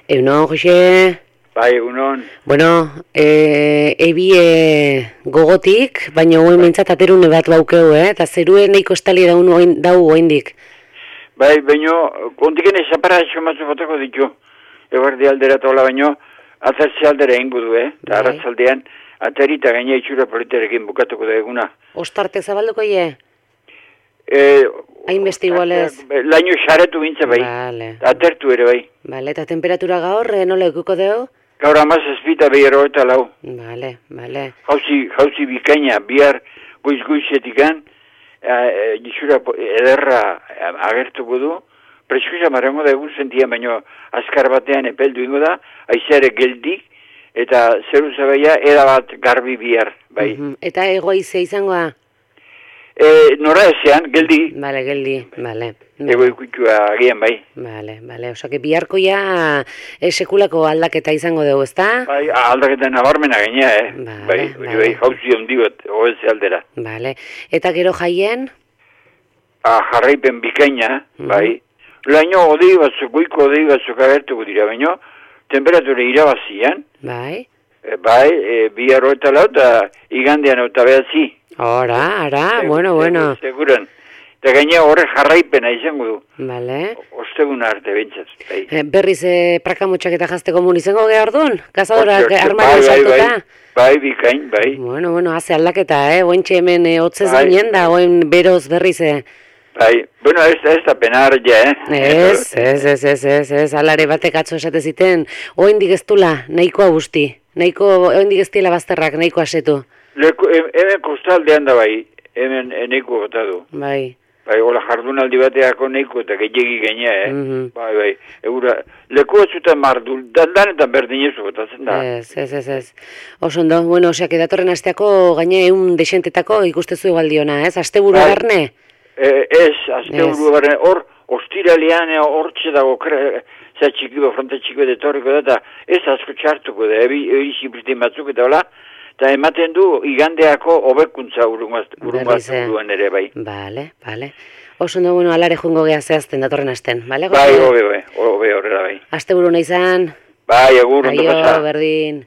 Egunon, Jose. Bai, egunon. Bueno, gogotik, baina guen mintzat aterune bat baukeu, eta zeruen nahiko estali dau oindik. Bai, baino, kontiken esapara esomatzu botako ditu. Eguerdi aldera tola baino, atzertze aldera ingo du, eta arratzaldean, ateri eta gaina itxura politerekin bukatuko da eguna. Ostarte zabalduko ie? Hainbeste igualez? Laino xaretu bintza bai, atertu ere bai. Bale, eta temperatura gaur, nola ekuko deu? Gaur amazazpita behero eta lau. Bale, bale. Jauzi bikaina, bihar goiz-goizetikan, itxura ederra agertuko du, preskuza marrango da egun sentian, baino azkar batean epeldu ingo da, aizeare geldik, eta zeru zabaia erabat garbi bihar, bai. Eta egoizea izangoa? Nora ezean, geldi. Bale, geldi, bale. Ego ikutua agian, bai. Bale, osake biharkoia sekulako aldaketa izango dugu, ezta? Bai, aldaketa nabarmena gaina, Bai, jauzi handi bat, oeze aldera. Bale, eta gero jaien? Jarraipen bikaina, bai. Laino odei batzuk, goiko odei batzuk agertuko dira, baino, temperatura irabazian. Bai. Bai, bihar eta lau, eta igandean eta behatzi. Ara, bueno. Seguran. Eta gaina horre jarraipena izango du. Bale. Osteguna arte bentsat. Berriz prakamotxak eta jazteko mun izango geha orduan? Kazadorak armario saltuta? Bai, bikain, bai. Bueno, haze aldaketa, ointxe hemen hotzez ginen da, oin beroz berriz, Bai, bueno, ez da penar ja, Ez, alare batek atzo esate ziten, oindik ez dula, nahikoa guzti, oindik ez dila bazterrak, nahiko asetu. Hemen kostaldean da bai, hemen neiko gota du. Bai. Bai, hola jardunaldi bateako neiko eta gehiagi gaina, Bai, eura, leku batzutan mardu, danetan berdinezu gotatzen da. Ez. Osondo, bueno, oseak edatorren asteako gaine egun desentetako ikustezu egaldiona, ez? Asteburu garne? Ez, asteburu garne, hor, ostiralean hor txedago, txikibo, fronte txiko detorriko da, eta ez asko txartuko da, eri zipritin batzuk eta hola, eta ematen du igandeako hobekuntza urungaztu duen ere, bai. Bale. Osondo, bueno, alare joango geha zehazten datorren asten, bale? Bai, hobe horrela, bai. Asteburu nahi zan? Bai, agur, ondo pasa. Aio, berdin.